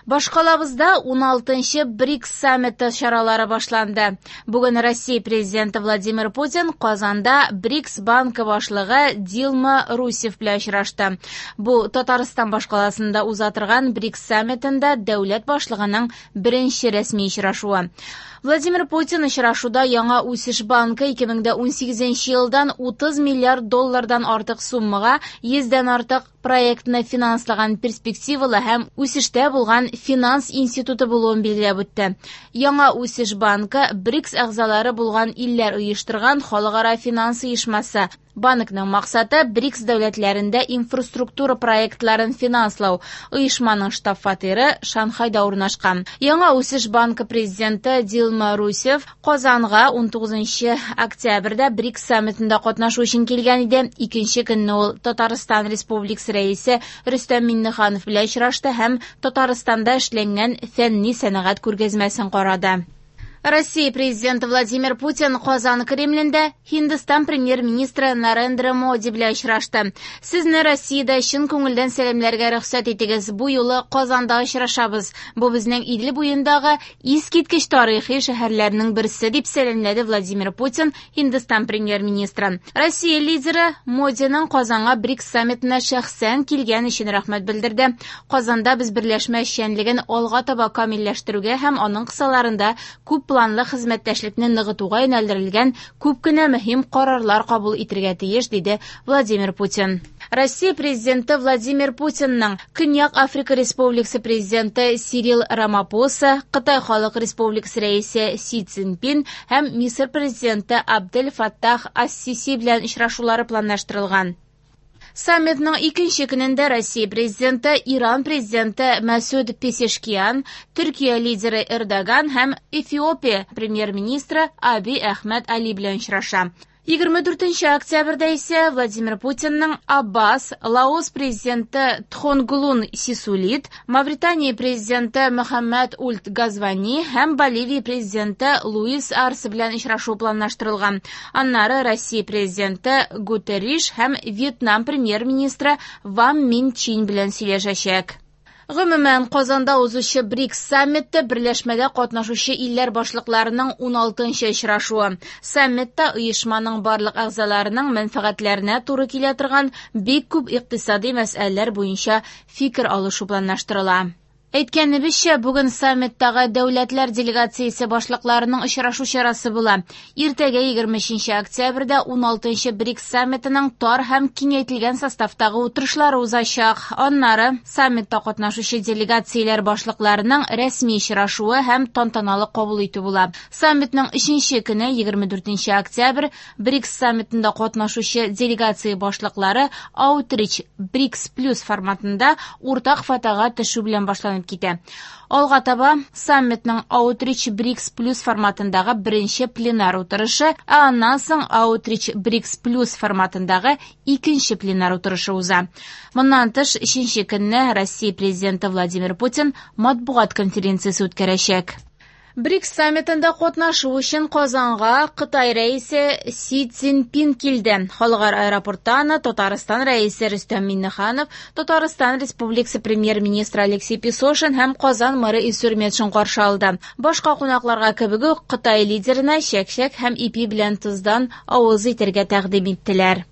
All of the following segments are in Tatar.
Башкалабызда 16-нчы БРИКС саммиты чаралары башланды. Бүген Россия президенты Владимир Путин Казанда БРИКС банкы башлыгы Дилма Русеф белән очрашты. Бу Татарстан башкаласында уза торган БРИКС саммитында дәүләт башлыгының беренче рәсми очрашуы. Владимир Путин очрашуда Яңа үсеш банкы 2018 елдан 30 миллиард доллардан артык суммага 100 дән артык проектны финанслаган перспективалы һәм үсештә булган финанс институты булуын билгеләп үтте. Яңа үсеш банкы БРИКС әгъзалары булган илләр оештырган халыкара финанс оешмасы. Банкның максаты БРИКС дәүләтләрендә инфраструктура проектларын финанслау. Оешманың штаб-фатиры Шанхайда урнашкан. Яңа үсеш банкы президенты Дилма Русеф Казанга 19 октябрьдә БРИКС саммитында катнашу өчен килгән иде. Икенче көнне ул Татарстан Республикасы рәисе Рөстәм Миңнеханов белән очрашты һәм Татарстанда эшләнгән фәнни сәнәгать күргәзмәсен карады. Россия президенты Владимир Путин Казан Кремлендә Һиндстан премьер-министры Нарендра Моди белән очрашты. Сезне Россиядә чын күңелдән сәламләргә рөхсәт итегез. Бу юлы Казанда очрашабыз. Бу безнең Идел буендагы искиткеч тарихи шәһәрләрнең берсе, дип сәламләде Владимир Путин Һиндстан премьер-министрын. Россия лидеры Модиның Казанга БРИКС саммитына шәхсән килгән өчен рәхмәт белдерде. Казанда без берләшмә эшчәнлеген алга таба камилләштерүгә һәм аның кысаларында күп планлы хезмәттәшлекне ныгытуга юнәлдерелгән күп кенә мөһим карарлар кабул итергә тиеш, диде Владимир Путин. Россия президенты Владимир Путинның Көньяк Африка Республикасы президенты Сирил Рамапоса, Кытай Халык Республикасы рәисе Си Цзиньпин һәм Мисыр президенты Абдель Фаттах ас-Сиси белән очрашулары планлаштырылган. Саммитның икенче көнендә Россия президенты, Иран президенты Мәсүд Пезешкиан, Төркия лидеры Эрдоган һәм Эфиопия премьер-министры Аби Әхмәд Али белән очраша. 24 октябрьдә исә Владимир Путинның Аббас, Лаос президенты Тхонглун Сисулит, Мавритания президенты Мөхәммәд Ульд Газвани һәм Боливия президенты Луис Арсе белән очрашу планлаштырылган. Аннары Россия президенты Гутерриш һәм Вьетнам премьер-министры Ван Мин Чин белән сөйләшәчәк. Гомумән, Казанда узучы БРИКС саммиты берләшмәдә катнашучы илләр башлыкларының 16-нчы очрашуы. Саммитта оешманың барлык әгъзаларының мәнфәгатьләренә туры килә торган бик күп икътисади мәсьәләләр буенча фикер алышу планлаштырыла. Әйткәнебезчә, бүген саммиттагы дәүләтләр делегациясе башлыкларының очрашу чарасы була. Иртәгә 23 октябрьдә 16-нчы БРИКС саммитының тар һәм киңәйтелгән составтагы утырышлары узачак. Аннары саммитта катнашучы делегацияләр башлыкларының рәсми очрашуы һәм тантаналы кабул итү була. Саммитның 3-нче көне 24 октябрь БРИКС саммитында катнашучы делегация башлыклары Outreach БРИКС плюс форматында уртак фотога төшү белән башланып китә. Алга таба саммитның Outreach БРИКС плюс форматындагы беренче пленар утырышы, ә аннан соң Outreach БРИКС плюс форматындагы икенче пленар утырышы уза. Моннан тыш, өченче көнне Россия президенты Владимир Путин матбугат конференциясе үткәрәчәк. БРИКС саммитында катнашу өчен Казанга Кытай рәисе Си Цзиньпин килде. Халыкара аэропортта аны Татарстан рәисе Рөстәм Миңнеханов, Татарстан Республикасы премьер-министры Алексей Песошин һәм Казан мэры Илсур Метшин каршы алды. Башка кунакларга кебек үк Кытай лидерына чәк-чәк һәм ипи белән тоздан авыз итәргә тәкъдим иттеләр.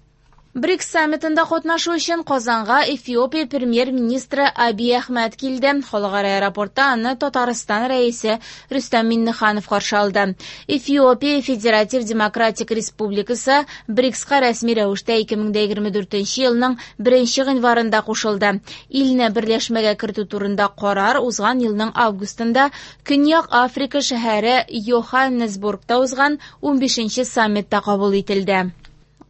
БРИКС саммитында катнашу өчен Казанга Эфиопия премьер-министры Абий Әхмәд килде. Халыкара аэропортта аны Татарстан рәисе Рөстәм Миңнеханов каршы алды. Эфиопия Федератив Демократик Республикасы БРИКСка рәсми рәвештә 2024 елның 1 гыйнварында кушылды. Илне берләшмәгә кертү турында карар узган елның августында Көньяк Африка шәһәре Йоханнесбургта узган 15 саммитта кабул ителде.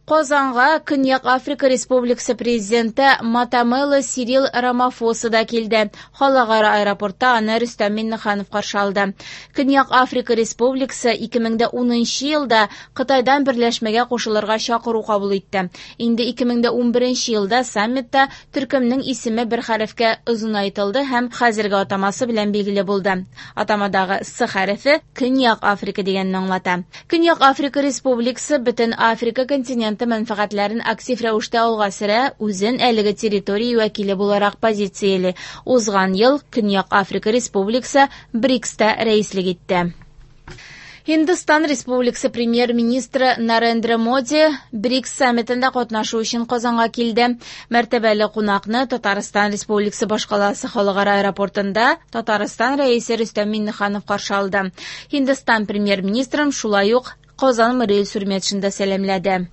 Казанга Көньяк Африка Республикасы президенты Матамела Сирил Рамафоса да килде. Халыкара аэропортта аны Рөстәм Миңнеханов каршы алды. Көньяк Африка Республикасы 2010 елда Кытайдан берләшмәгә кушылырга чакыру кабул итте. Инде 2011 елда саммитта төркемнең исеме бер хәрефкә озынайтылды һәм хәзерге атамасы белән билгеле булды. Атамадагы С хәрефе Көньяк Африка дигәнне аңлата. Көньяк Африка Республикасы бөтен Африка континенты континенты мәнфәгатьләрен актив рәвештә алга сөрә, үзен әлеге территория вәкиле буларак позицияли. Узган ел Көньяк Африка Республикасы БРИКСта рәислек итте. Һиндстан Республикасы премьер-министры Нарендра Моди БРИКС саммитында катнашу өчен Казанга килде. Мәртәбәле кунакны Татарстан Республикасы башкаласы халыкара аэропортында Татарстан Рәисе Рөстәм Миңнеханов каршы алды. Һиндстан премьер-министрын шулай ук Казан мэры Илсур Метшин да сәламләде.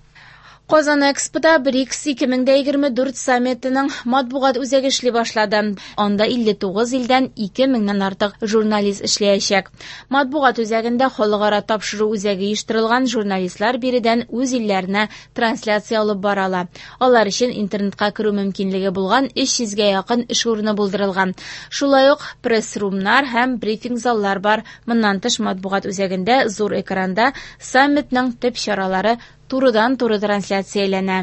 Казан Экспода БРИКС 2024 саммитының матбугат үзәге эшли башлады. Анда 59 илдән 2000-нән артык журналист эшләячәк. Матбугат үзәгендә халыкара тапшыру үзәге оештырылган, журналистлар биредән үз илләренә трансляция алып бара ала. Алар өчен интернетка керү мөмкинлеге булган 300гә якын эш урыны булдырылган. Шулай ук пресс-румнар һәм брифинг заллар бар. Моннан тыш матбугат үзәгендә зур экранда саммитның төп чаралары турыдан-туры трансляцияләнә.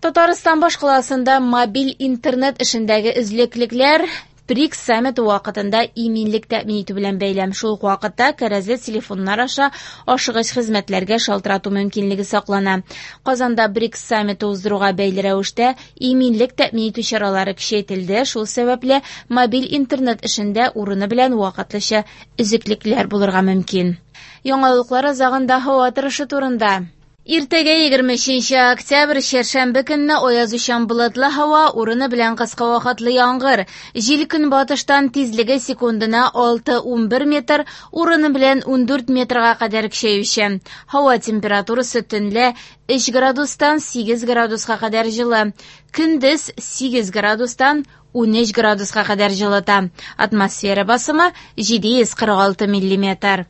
Татарстан башкаласында мобиль интернет эшендәге өзлеклекләр БРИКС саммиты вакытында иминлек тәэмин итү белән бәйле. Шул ук вакытта кәрәзле телефоннар аша ашыгыч хезмәтләргә шалтырату мөмкинлеге саклана. Казанда БРИКС саммиты уздыруга бәйле рәвештә иминлек тәэмин итү чаралары көчәйтелде. Шул сәбәпле мобиль интернет эшендә урыны белән вакытлыча өзеклекләр булырга мөмкин. Яңалыклар азагында һава торышы турында. Иртәгә 23 октябрь чәршәмбе көнне аязучан болытлы һава, урыны белән кыска вакытлы яңгыр. Җил көнбатыштан тизлеге секундына 6-11 метр, урыны белән 14 метрга кадәр көчәюче. Һава температурасы төнлә 3 градустан 8 градуска кадәр җылы. Көндез 8 градустан 13 градуска кадәр җылыта. Атмосфера басымы 746 миллиметр.